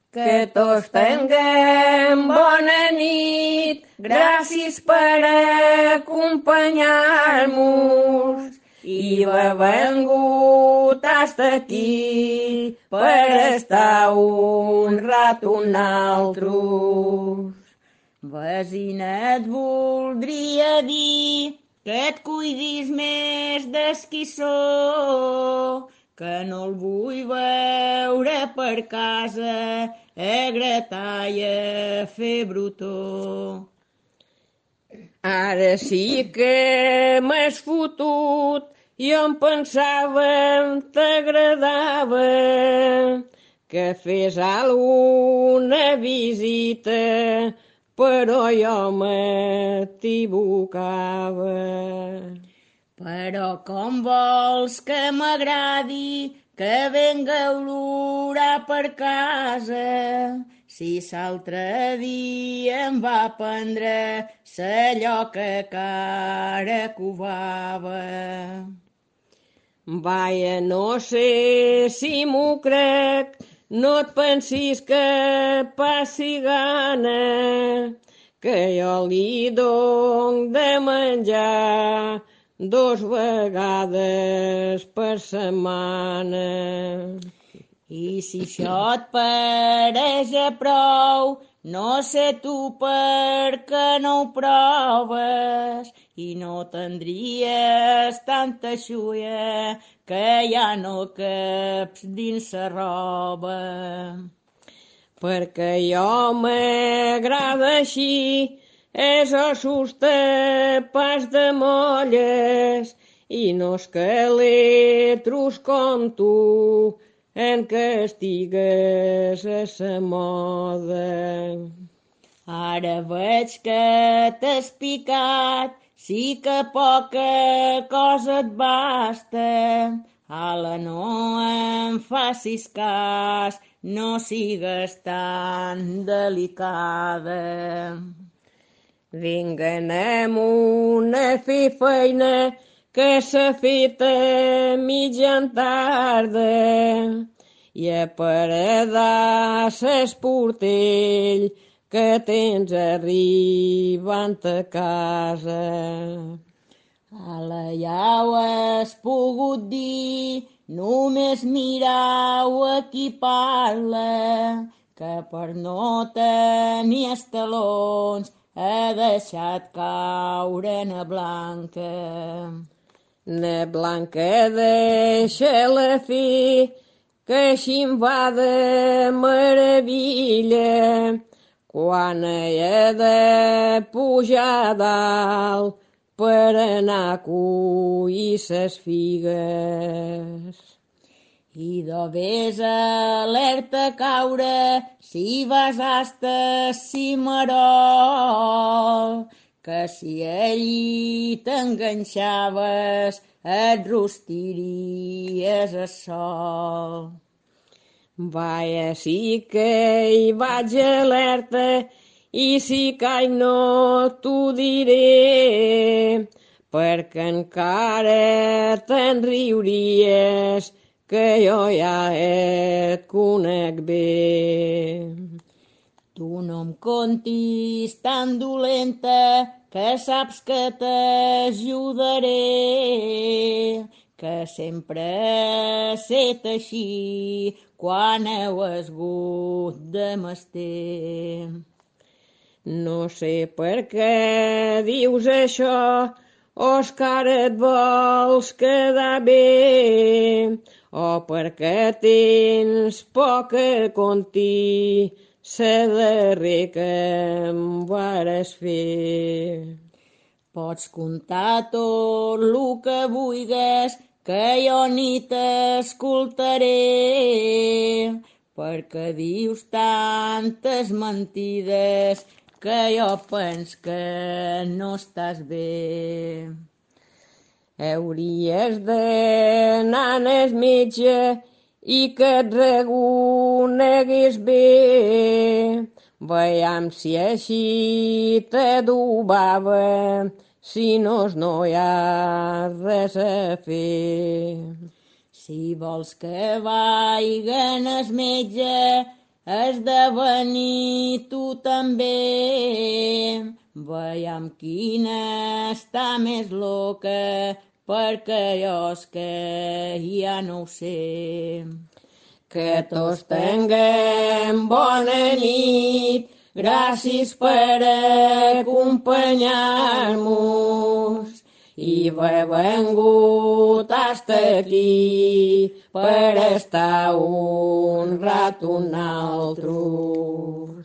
Que tots tinguem bona nit, gràcies per acompanyar-nos i haver vengut hasta aquí per estar un rato naltros. Vesina, et voldria dir que et cuidis més d'esquissó, que no el vull veure per casa a gratar i a fer brutó. Ara sí que m'has fotut, jo em pensava t'agradava que fes alguna visita, però jo m'equivocava. Però com vols que m'agradi que venga a olorar per casa, si l'altre dia em va prendre s'allò que cara covava. Vaja, no sé si m'ho crec, no et pensis que passi gana, que jo li dono de menjar 2 vegades per setmana. I si això et pareix a prou, no sé tu per què no ho proves i no tindries tanta xulla que ja no caps dins la roba. Perquè jo m'agrada així, és ossos tapats de molles i no escaletros com tu, en què estigues a sa moda. Ara veig que t'has picat, sí que poca cosa et basta. Ala, no em facis cas, no sigues tan delicada. Vinga, anem a fer feina, que s'ha fet a mitjan tarda i a paredar s'esportell que tens arribant a casa. Ala, ja ho has pogut dir, només mirau a qui parla, que per no tenir estalons ha deixat caure na Blanca. Na Blanca deixa-la fer, que així em va de meravella, quan he de pujar a dalt per anar a collir ses figues. I de vés alerta a caure si vas hasta Cimarol, que si allí t'enganxaves et rostiries a sol. Vaja, sí que hi vaig alerta i si caic no t'ho diré, perquè encara te'n riuries que jo ja et conec bé. Tu no em contis tan dolenta, que saps que t'ajudaré, que sempre he set així quan heu esgut de mester. No sé per què dius això, o és que ara et vols quedar bé, o perquè tens poc a contir sa darrer que em vares fer. Pots contar tot lo que vulgues, que jo ni t'escoltaré, perquè dius tantes mentides que jo pens que no estàs bé. Hauries d'anar al metge i que et reconegués bé, veiem si així t'adobava, si no hi ha res a fer. Si vols que vagin al metge, has de venir tu també. Veiem quina està més loca, perquè jo és que ja no ho sé. Que tots tinguem bona nit, gràcies per acompanyar-nos. I he vengut hasta aquí per estar un rato un altre.